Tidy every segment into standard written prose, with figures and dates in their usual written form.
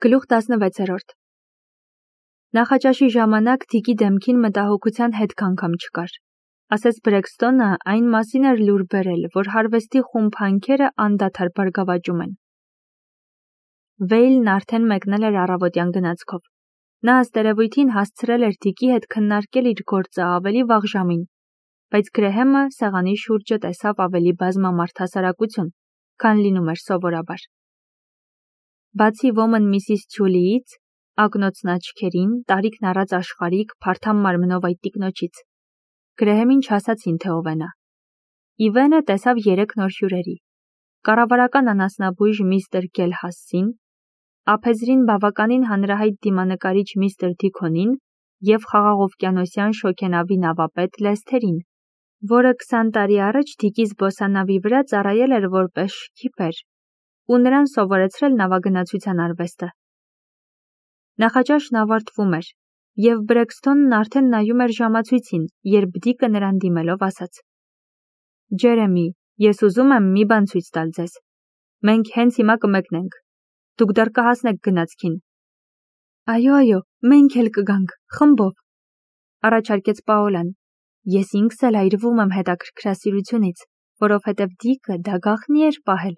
Գլուխ 16-րդ Նախաճաշի ժամանակ Դիկի դեմքին մտահոգության հետք անգամ չկար, ասես Բրեքստոնը այն մասին էր լուր բերել, որ հարվեստի խումբ հանքերը անդադար բարգավաճում են։ Վեյլն արդեն մեկնել էր առավոտյան գնացքով։ Նա ըստ երևույթին հասցրել էր Դիկի հետ քննարկել իր գործը ավելի վաղ ժամին, բայց Գրեհեմը սեղանի շուրջը տեսավ ավելի բազմամարդ հասարակություն, քան լինում էր սովորաբար։ Բացի ոմն Միսիս Թյուլիից, ակնոցն աչքերին, տարիքն առած աշխարհիկ, փարթամ մարմնով այդ տիկնոջից, Գրեհեմին չասացին, թե ով է նա։ Իվենը տեսավ 3 նոր հյուրերի. կառավարական անասնաբույժ միստր Գելհասին, ափեզրին բավականին հանրահայտ դիմանկարիչ միստր Դիքոնին և խաղաղօվկիանոսյան շոգենավի նավապետ Լեսթերին, որը 20 տարի առաջ Դիկի զբոսանավի վրա ծառայել էր որպես շքիպեր ու նրան սովորեցրել նավագնացության արվեստը։ Նախաճաշն ավարտվում էր, և Բրեքստոնն արդեն նայում էր ժամացույցին, երբ Դիկը նրան դիմելով ասաց. «Ջերեմի, ես ուզում եմ մի բան ցույց տալ ձեզ։ Մենք հենց հիմա կմեկնենք։ Դուք դեռ կհասնեք գնացքին»։ Այո, մենք էլ կգանք, խմբով, առաջարկեց Պաոլան։ Ես ինքս էլ այրվում եմ հետաքրքրասիրությունից, որովհետև Դիկը դա գաղտնի էր պահել։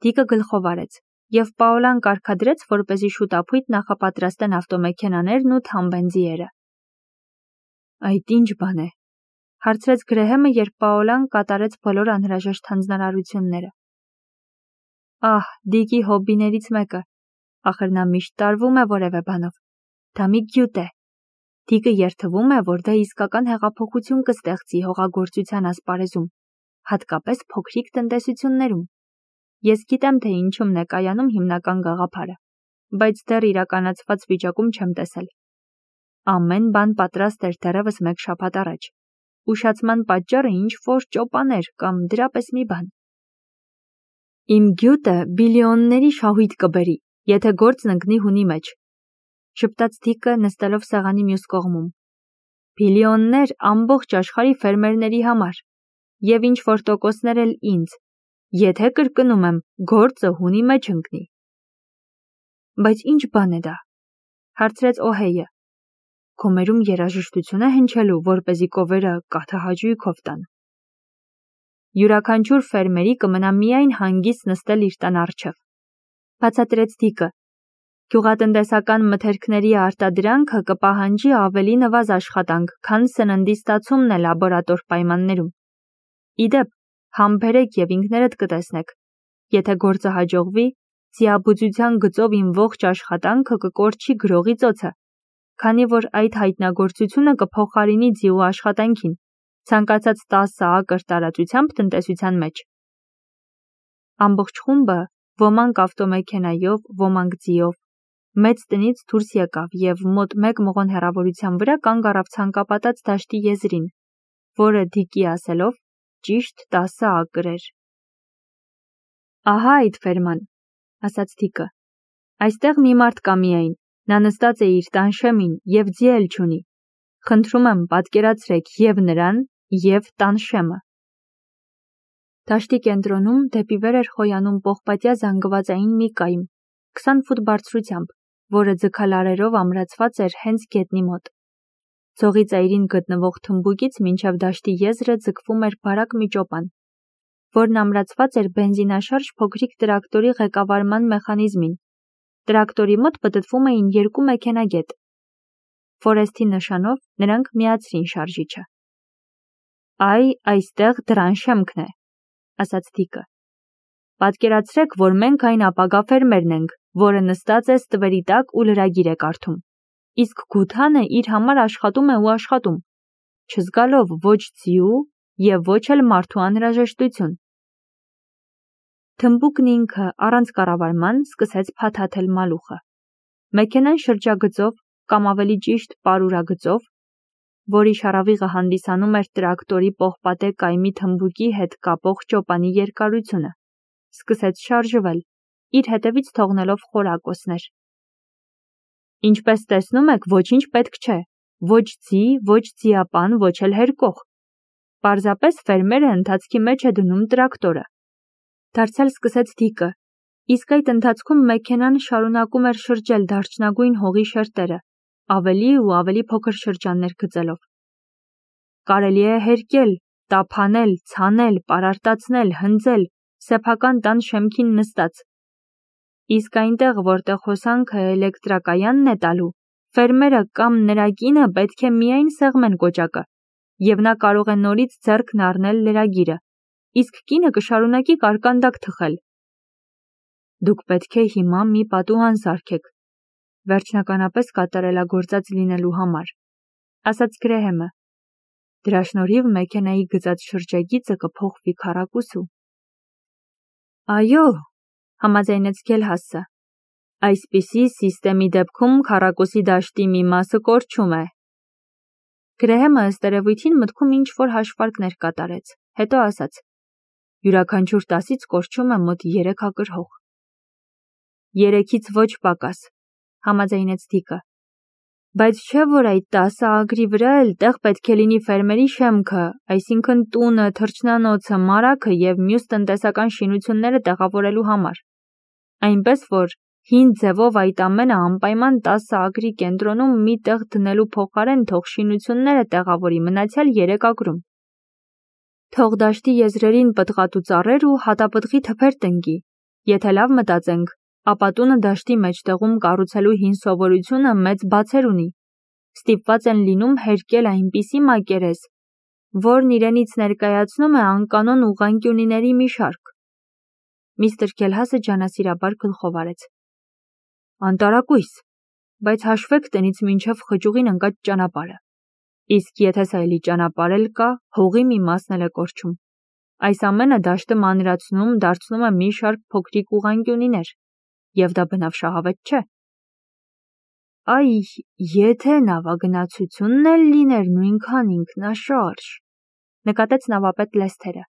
Դիկը գլխով արեց, և Պաոլան կարգադրեց, որպեսզի շուտափույթ նախապատրաստեն ավտոմեքենաներն ու թամբեն ձիերը։ Այդ ինչ բան է, հարցրեց Գրեհեմը, երբ Պաոլան կատարեց բոլոր անհրաժեշտ հանձնարարությունները։ Ահ, Դիկի հոբբիներից մեկը, ախր նա միշտ տարվում է որևէ բանով։ Դա մի գյուտ է։ Դիկը երդվում է, որ դա իսկական հեղափոխություն կստեղծի հողագործության ասպարեզում, հատկապես փոքրիկ տնտեսություններում։ Ես գիտեմ, թե ինչումն է կայանում հիմնական գաղափարը, բայց դեռ իրականացված վիճակում չեմ տեսել։ Ամեն բան պատրաստ էր դեռևս 1 շաբաթ առաջ։ Ուշացման պատճառը ինչ-որ ճոպաներ կամ դրա պես մի բան։ Իմ գյուտը բիլիոնների շահույթ կբերի, եթե գործն ընկնի հունի մեջ, շպտաց Դիկը նստելով սեղանի մյուս կողմում։ Բիլիոններ ամբողջ աշխարհի ֆերմերների համար, և ինչ-որ տոկոսներ էլ ինձ, եթե կրկնում եմ, գործը հունի մեջ ընկնի։ Բայց ինչ բան է դա, հարցրեց Օհեյը։ Գոմերում երաժշտություն է հնչելու, որպեսզի կովերը կաթահաճույքով տան։ Յուրաքանչյուր ֆերմերի կմնա միայն հանգիստ նստել իր տան առջև, բացատրեց Դիկը։ Գյուղատնտեսական մթերքների արտադրանքը կպահանջի ավելի նվազ աշխատանք, քան սննդի ստացումն է լաբորատոր պայմաններում։ Իդեպ, համբերեք և ինքներդ կտեսնեք, եթե գործը հաջողվի, ձիաբուծության գծով իմ ողջ աշխատանքը կկորչի գրողի ծոցը, քանի որ այդ հայտնագործությունը կփոխարինի ձիու աշխատանքին, ցանկացած 10 ակր տարածությամբ տնտեսության մեջ։ Ամբողջ խումբը, ոմանք ավտոմեքենայով, ոմանք ձիով, մեծ տնից դուրս եկավ և մոտ 1 մղոն հեռավորության վրա կանգ առավ ցանկապատած դաշտի եզրին, որը Դիկի ասելով ճիշտ 10 ակր էր։ Ահա այդ ֆերման, ասաց Դիկը։ Այստեղ մի մարդ կա միայն, նա նստած է իր տանշեմին և ձի էլ չունի։ Խնդրում եմ պատկերացրեք և նրան, և տանշեմը։ Դաշտի կենտրոնում դեպի վեր էր խոյանում պողպատյա զանգվածային մի կայմ, 20 ֆուտ բարձրությամբ, որը ձգալարերով ամրացված էր հենց գետնի մոտ։ Ցողի ծայրին գտնվող թմբուկից մինչև դաշտի եզրը ձգվում էր բարակ մի ճոպան, որն ամրացված էր բենզինաշարժ փոքրիկ տրակտորի ղեկավարման մեխանիզմին։ Տրակտորի մոտ պտտվում էին 2 մեքենագետ։ Ֆորեստի նշանով նրանք միացրին շարժիչը։ Այստեղ դրան շեմքն է, ասաց Դիկը։ Պատկերացրեք, որ մենք այն ապագա ֆերմերն ենք, որը նստած է ստվերի տակ ու լրագիր է կարդում, իսկ Գութանը իր համար աշխատում է ու աշխատում, չզգալով ոչ ձիու և ոչ էլ մարդու անհրաժեշտություն։ Թմբուկն ինքը առանց կառավարման սկսեց փաթաթել մալուխը։ Մեքենան շրջագծով, կամ ավելի ճիշտ պարուրագծով, որի շարավիղը հանդիսանում էր տրակտորի պողպատե կայմի թմբուկի հետ կապող ճոպանի երկարությունը, սկսեց շարժվել, իր հետևից թողնելով խորակոսներ։ Ինչպես տեսնում եք, ոչինչ պետք չէ, ոչ ձի, ոչ ձիապան, ոչ էլ հերկող։ Պարզապես ֆերմերը ընթացքի մեջ է դնում տրակտորը։ Դարձյալ սկսեց Դիկը, Իսկ այդ ընթացքում մեքենան շարունակում էր շրջել դարչնագույն հողի շերտերը, ավելի ու ավելի փոքր շրջաններ գծելով։ Կարելի է հերկել, տափանել, ցանել, պարարտացնել, հնձել, սեփական տան շեմքին նստած։ Իսկ այնտեղ, որտեղ հոսանքը էլեկտրակայանն է տալու, ֆերմերը կամ նրա կինը պետք է միայն սեղմեն կոճակը, եւ նա կարող է նորից ձեռքն առնել լրագիրը, իսկ կինը կշարունակի կարկանդակ թխել։ Դուք պետք է հիմա մի պատուհան սարքեք, վերջնականապես կատարելագործած լինելու համար, ասաց Գրեհեմը։ Դրա շնորհիվ մեքենայի գծած շրջագիծը կփոխվի քառակուսու։ Այո, համաձայնեց Գելհասը։ Այսպիսի սիստեմի դեպքում քառակուսի դաշտի մի մասը կորչում է։ Գրեհեմը ըստ երևույթին մտքում ինչ-որ հաշվարկներ կատարեց, հետո ասաց. Յուրաքանչյուր 10-ից կորչում է մոտ 3 ակր հող։ 3-ից ոչ պակաս, համաձայնեց Դիկը։ Բայց չէ՞ որ այդ 10 ագրի վրա էլ տեղ պետք է լինի ֆերմերի շեմքը, այսինքն տունը, թռչնանոցը, մարագը եւ մյուս տնտեսական շինությունները տեղավորելու համար։ Այնպես որ հին ձևով այդ ամենը անպայման 10 ագրի կենտրոնում մի տեղ դնելու փոխարեն թող շինությունները տեղավորի մնացյալ 3 ագրում։ Թող դաշտի եզրերին պտղատու ծառեր ու հատապտղի թփեր տնկի։ Եթե լավ մտածենք, ապա տունը դաշտի մեջտեղում կառուցելու հին սովորությունը մեծ բացեր ունի։ Ստիպված են լինում հերկել այնպիսի մակերես, որն իրենից ներկայացնում է անկանոն ուղղանկյունիների մի շարք։ Միստր Գելհասը ջանասիրաբար գլխով արեց։ Անտարակույս, բայց հաշվեք տնից մինչև խճուղին ընկած ճանապարհը։ Իսկ եթե սա էլի ճանապարհ էլ կա, հողի մի մասն էլ է կորչում։ Այս ամենը դաշտը մանրացնում, դարձնում է մի շարք փոքրիկ ուղղանկյունիներ, եւ դա բնավ շահավետ չէ։ Այ, եթե նավագնացությունն էլ լիներ նույնքան ինքնաշարժ, նկատեց նավապետ Լեսթերը։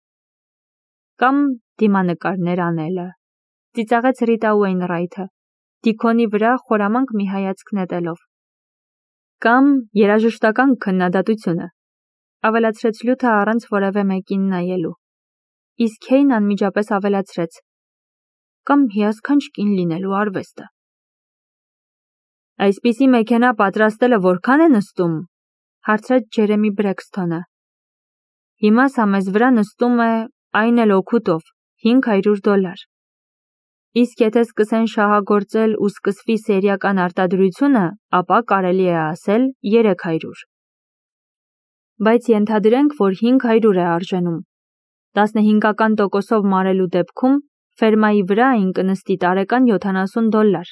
Կամ դիմանկարներ անելը, ծիծաղեց Ռիտա Ուեյնրայթը, Դիքոնի վրա խորամանկ մի հայացք նետելով։ Կամ երաժշտական քննադատությունը, ավելացրեց Լյութը առանց որևէ մեկին նայելու։ Իսկ Հեյն անմիջապես ավելացրեց. Կամ հիասքանչ կին լինելու արվեստը։ Այսպիսի մեքենա պատրաստելը որքան է նստում, հարցրեց Ջերեմի Բրեքսթոնը։ Հիմա սա մեզ վրա նստում է, այն էլ օգուտով, $500։ Իսկ եթե սկսեն շահագործել ու սկսվի սերիական արտադրությունը, ապա կարելի է ասել 300։ Բայց ենթադրենք, որ 500 է արժենում։ 15% մարելու դեպքում ֆերմայի վրա այն կնստի տարեկան $70,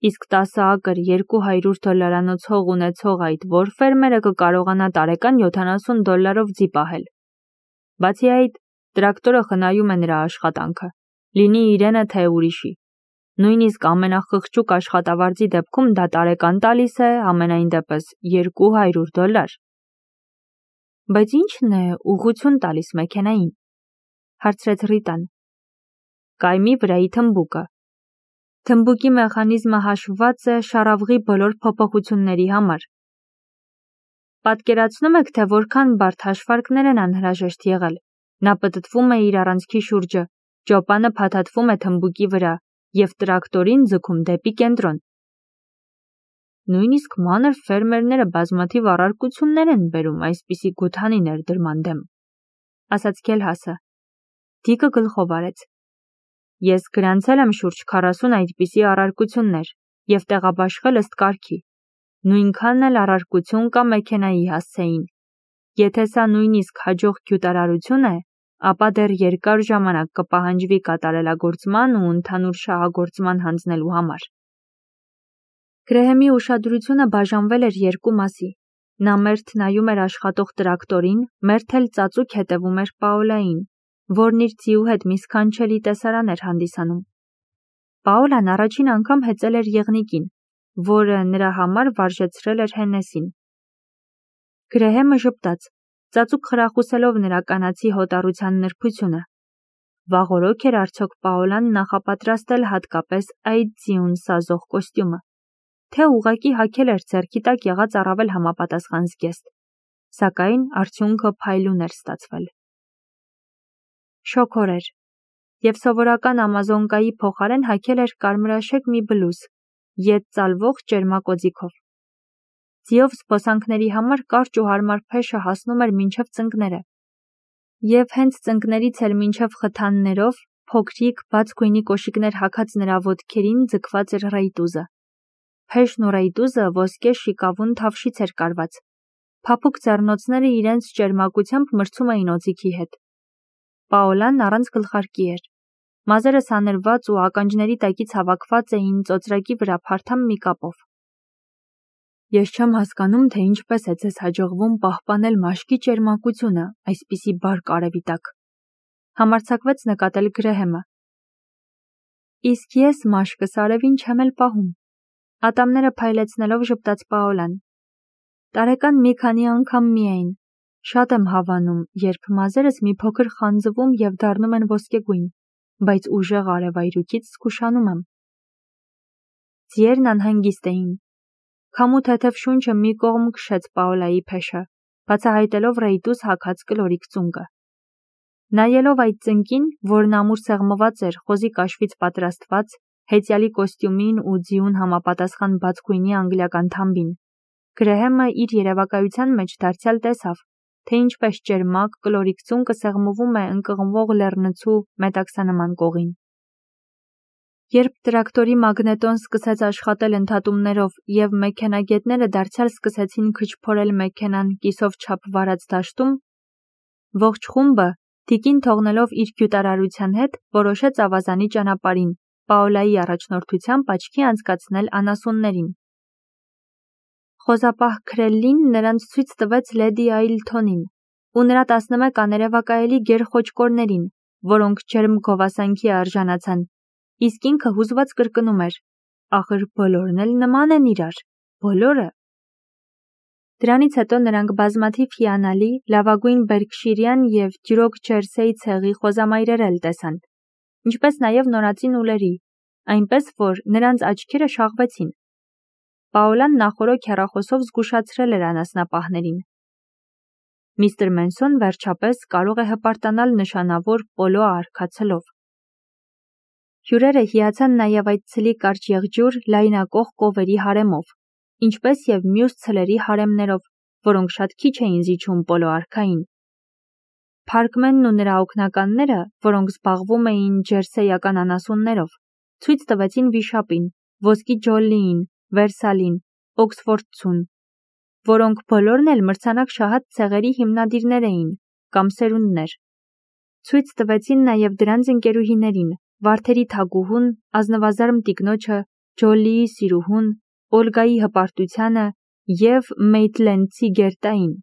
իսկ 10 ակր $200 հող ունեցող այդ որ ֆերմերը կկարողանա տարեկան $70 ձի պահել։ Բացի այդ, տրակտորը խնայում է նրա աշխատանքը, լինի իրենը թե ուրիշի։ Նույնիսկ ամենախղճուկ աշխատավարձի դեպքում դա տարեկան տալիս է ամենայն դեպս $200։ Բայց ի՞նչն է ուղղություն տալիս մեքենային, հարցրեց Ռիտան։ Կայմի վրայի թմբուկը։ Թմբուկի մեխանիզմը հաշվված է շառավղի բոլոր փոփոխությունների համար։ Պատկերացնում եք, թե որքան բարդ հաշվարկներ են անհրաժեշտ եղել։ Նա պտտվում է իր առանցքի շուրջը, ճոպանը փաթաթվում է թմբուկի վրա եւ տրակտորին ձգում դեպի կենտրոն։ Նույնիսկ մանր ֆերմերները բազմաթիվ առարկություններ են բերում այսպիսի գութանի ներդրման դեմ, ասաց Գելհասը։ Դիկը գլխով արեց։ Ես գրանցել եմ շուրջ 40 այդպիսի առարկություններ եւ տեղաբաշխել ըստ կարգի։ Նույնքան էլ առարկություն կա մեքենայի հասցեին։ Եթե սա նույնիսկ հաջող գյուտարարություն է, ապա դեռ երկար ժամանակ կպահանջվի կատարելագործման ու ընդհանուր շահագործման հանձնելու համար։ Գրեհեմի ուշադրությունը բաժանվել էր երկու մասի։ Նա մերթ նայում էր աշխատող տրակտորին, մերթ էլ ծածուկ հետևում էր Պաոլային, որն իր ձիու հետ մի սքանչելի տեսարան էր հանդիսանում։ Պաոլան առաջին անգամ հեծել էր եղնիկին, որը նրա համար վարժեցրել էր Հենեսին։ Գրեհեմը ժպտաց, ծածուկ խրախուսելով նրա կանացի հոտառության նրբությունը։ Վաղօրոք էր արդյոք Պաոլան նախապատրաստել հատկապես այդ ձիուն սազող կոստյումը, թե ուղղակի հագել էր ձեռքի տակ եղած առավել համապատասխան զգեստ, սակայն արդյունքը փայլուն էր ստացվել։ Շոգ օր էր։ և սովորական ամազոնկայի փոխարեն հագել էր կարմրաշեկ մի բլուզ, ետ ծալվող ճերմակոծիքով։ Ձիով զբոսանքների համար կարճ ու հարմար փեշը հասնում էր մինչև ծնկները, և հենց ծնկներից էլ մինչև խթաններով փոքրիկ բաց գույնի կոշիկներ հագած նրա ոտքերին ձգված էր ռեյտուզը։ Փեշն ու ռեյտուզը ոսկե շիկավուն թավշից էր կարված։ Փափուկ ձեռնոցները իրենց ճերմակությամբ մրցում էին օձիքի հետ։ Պաոլան առանց գլխարկի էր։ Մազերը սանրված ու ականջների տակից հավաքված էին ծոծրակի վրա փարթամ մի կապով։ Ես չեմ հասկանում, թե ինչպես է ձեզ հաջողվում պահպանել մաշկի ճերմակությունը այսպիսի բարդ արևի տակ, համարձակվեց նկատել Գրեհեմը։ Իսկ ես մաշկս արևին չեմ էլ պահում, ատամները փայլեցնելով ժպտաց Պաոլան։ Տարեկան մի քանի անգամ միայն, շատ եմ հավանում, երբ մազերս մի փոքր խանձվում և դառնում են ոսկեգույն, բայց ուժեղ արևայրուքից զգուշանում եմ։ Ձիերն անհանգիստ էին։ Քամու թեթև շունչը մի կողմ քշեց Պաոլայի փեշը, բացահայտելով ռեյտուզ հագած կլորիկ ծունկը։ Նայելով այդ ծնկին, որն ամուր սեղմված էր խոզի կաշվից պատրաստված, հեծյալի կոստյումին ու ձիուն համապատասխան բաց գույնի անգլիական թամբին, Գրեհեմը իր երևակայության մեջ դարձյալ տեսավ, թե ինչպես ճերմակ կլորիկ ծունկը սեղմվում է ընկղմվող լեռնցու մետաքսանման կողին։ Երբ տրակտորի մագնետոն սկսեց աշխատել ընդհատումներով և մեքենագետները դարձյալ սկսեցին քչփորել մեքենան կիսով չափ վարած դաշտում, ողջ խումբը, Դիկին թողնելով իր գյուտարարության հետ, որոշեց ավազանի ճանապարհին, Պաոլայի առաջնորդությամբ աչքի անցկացնել անասուններին։ Խոզապահ Քրելլին նրանց ցույց տվեց լեդի Այլթոնին ու նրա 11 աներևակայելի գերխոճկորներին, որոնք ջերմ գովասանքի արժանացան, իսկ ինքը հուզված կրկնում էր. ախր բոլորն էլ նման են իրար, բոլորը։ Դրանից հետո նրանք բազմաթիվ հիանալի, լավագույն բերքշիրյան և դյուրոք ջերսեի ցեղի խոզամայրեր էլ տեսան, ինչպես նաև նորածին ուլերի, այնպես որ նրանց աչքերը շաղվեցին։ Պաոլան նախօրոք հեռախոսով զգուշացրել էր անասնապահներին։ Միստր Մենսոն վերջապես կարող է հպարտանալ նշանավոր պոլո արկածելով։ Հյուրերը հիացան նաև այդ ցլի կարճ եղջյուր լայնակող կովերի հարեմով, ինչպես և մյուս ցլերի հարեմներով, որոնք շատ քիչ էին զիջում պոլո արքային։ Փարկմենն ու նրա օգնականները, որոնք զբաղվում էին ջերսեյական անասուններով, ցույց տվեցին վիշապին, ոսկի Ջոլլիին, Վերսալին, Օքսֆորդցուն, որոնք բոլորն էլ մրցանակ շահած ցեղերի հիմնադիրներ էին կամ սերունդներ։ Ցույց տվեցին նաև դրանց ընկերուհիներին, Վարդերի թագուհուն, ազնվազարմ տիկնոջը, Ջոլլիի սիրուհուն, Օլգայի հպարտությանը և Մեյթլենդցի գերտային։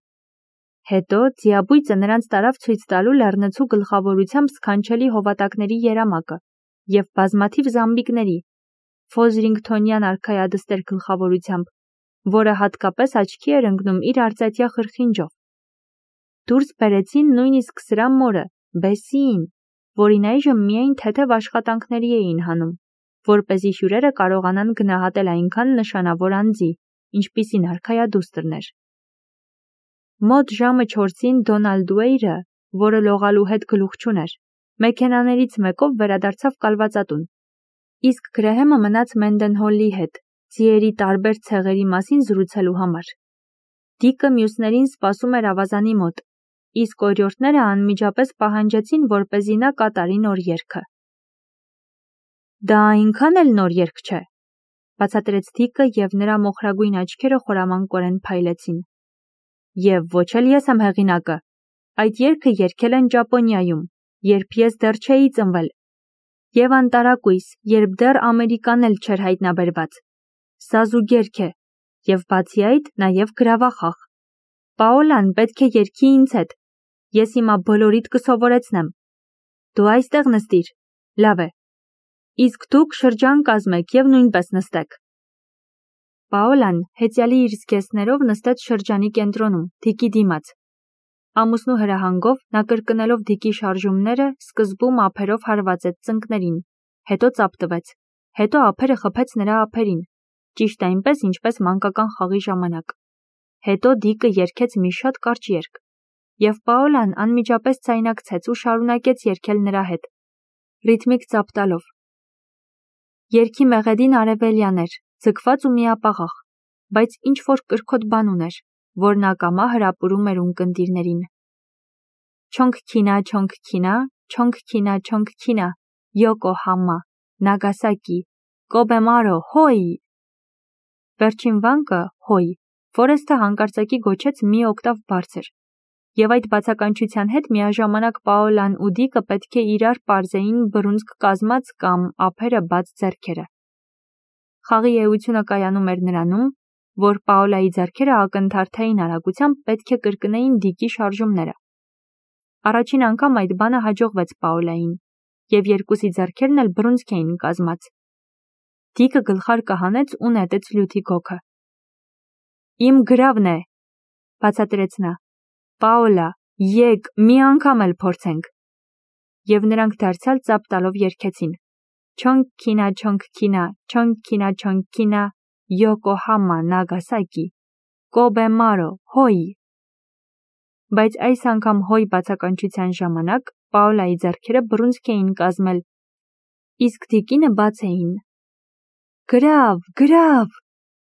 Հետո ձիաբույծը նրանց տարավ ցույց տալու լեռնցու գլխավորությամբ սքանչելի հովատակների երամակը և բազմաթիվ զամբիկների, Ֆոզրինգթոնյան արքայադստեր գլխավորությամբ, որը հատկապես աչքի էր ընկնում իր արծաթյա խրխինջով։ Դուրս բերեցին նույնիսկ սրա մորը, Բեսսիին, որին այժմ միայն թեթև աշխատանքների էին հանում, որպեսզի հյուրերը կարողանան գնահատել այնքան նշանավոր անձի, ինչպիսին արքայադուստրն էր։ Մոտ ժամը 4-ին Դոնալդ Ուեյրը, որը լողալու հետ գլուխ չուներ, մեքենաներից մեկով վերադարձավ կալվածատուն, իսկ Գրեհեմը մնաց Մենդենհոլի հետ, ձիերի տարբեր ցեղերի մասին զրուցելու համար։ Դիկը մյուսներին սպասում էր ավազանի մոտ, իսկ օրիորդները անմիջապես պահանջեցին, որպեսզի նա կատարի նոր երգը։ Դա այնքան էլ նոր երգ չէ, բացատրեց Դիկը և նրա մոխրագույն աչքերը խորամանկորեն փայլեցին։ Եվ ոչ էլ ես եմ հեղինակը։ Այդ երգը երգել են Ճապոնիայում, երբ ես դեռ չէի ծնվել, և անտարակույս, երբ դեռ Ամերիկան էլ չէր հայտնաբերված։ Սա զուգերգ է, և բացի այդ, նաև գրավախաղ։ Պաոլան պետք է երգի ինձ հետ։ Ես հիմա բոլորիդ կսովորեցնեմ։ Դու այստեղ նստիր։ Լավ է։ Իսկ դուք շրջան կազմեք և նույնպես նստեք։ Պաոլան հեծյալի իր զգեստներով նստեց շրջանի կենտրոնում, Դիկի դիմաց։ Ամուսնու հրահանգով նա կրկնելով Դիկի շարժումները սկզբում ափերով հարվածեց ծնկներին, հետո ծափտվեց, հետո ափերը խփեց նրա ափերին, ճիշտ այնպես, ինչպես մանկական խաղի ժամանակ։ Հետո Դիկը երգեց մի շատ կարճ երգ, և Պաոլան անմիջապես ձայնարկեց ու շարունակեց երգել նրա հետ։ Ռիթմիկ ծափ տալով։ Երգի մեղեդին արևելյան էր, ձգված ու միապաղաղ, բայց ինչ-որ կրքոտ բան ուներ, որն ակամա հրապուրում էր ունկնդիրներին։ Չոնք քինա, Յոկոհամա, Նագասակի, Կոբեմարո, հոյ։ Վերջին վանկը, հոյ, Ֆորեսթը հանկարծակի գոչեց մի օկտավ բարձր, և այդ բացականչության հետ միաժամանակ Պաոլան ու Դիկը պետք է իրար պարզեին բռունցք կազմած կամ ափերը բաց ձեռքերը։ Խաղի էությունը կայանում էր նրանում, որ Պաոլայի ձեռքերը ակնթարթային արագությամբ պետք է կրկնեին Դիկի շարժումները։ Առաջին անգամ այդ բանը հաջողվեց Պաոլային, և երկուսի ձեռքերն էլ բռունցք էին կազմած։ Դիկը գլխարկը հանեց ու նետեց լյութի գոգը։ Իմ գրավն է, բացատրեց նա։ Պաոլա, եկ, մի անգամ էլ փորձենք։ Եվ նրանք դարձյալ ծափ տալով երգեցին. Չոնք քինա, Յոկոհամա, Նագասակի, Կոբեմարո, հոյ։ Բայց այս անգամ հոյ բացականչության ժամանակ Պաոլայի ձեռքերը բռունցք էին կազմել, իսկ Դիկինը բաց էին։ Գրավ,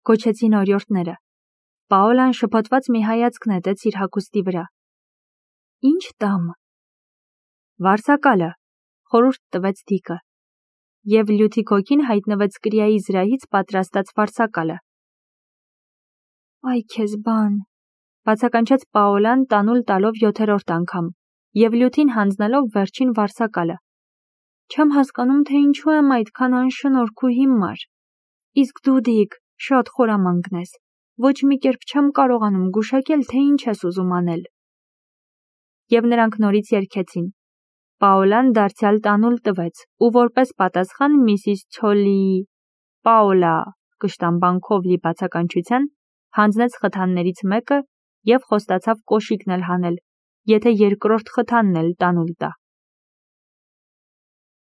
գոչեցին օրիորդները։ Պաոլան շփոթված մի հայացք նետեց իր հագուստի վրա։ Ինչ տամ։ Վարսակալը, խորհուրդ տվեց Դիկը, և լյութի գոգին հայտնվեց կրիայի զրահից պատրաստած վարսակալը։ Այ քեզ բան, բացականչեց Պաոլան տանուլ տալով 7-րդ անգամ, և լյութին հանձնելով վերջին վարսակալը։ Չեմ հասկանում, թե ինչու եմ այդքան անշնորհք ու հիմար։ Իսկ դու, Դիկ, շատ խորամանկ ես, ոչ մի կերպ չեմ կարողանում գուշակել, թե ինչ ես ուզում անել։ Եվ նրանք նորից երգեցին։ Պաոլան դարձյալ տանուլ տվեց ու որպես պատասխան միսիս Ցոլիի Պաոլա կշտամբանքով լի բացականչության հանձնեց խթաններից մեկը և խոստացավ կոշիկն էլ հանել, եթե երկրորդ խթանն էլ տանուլ տա։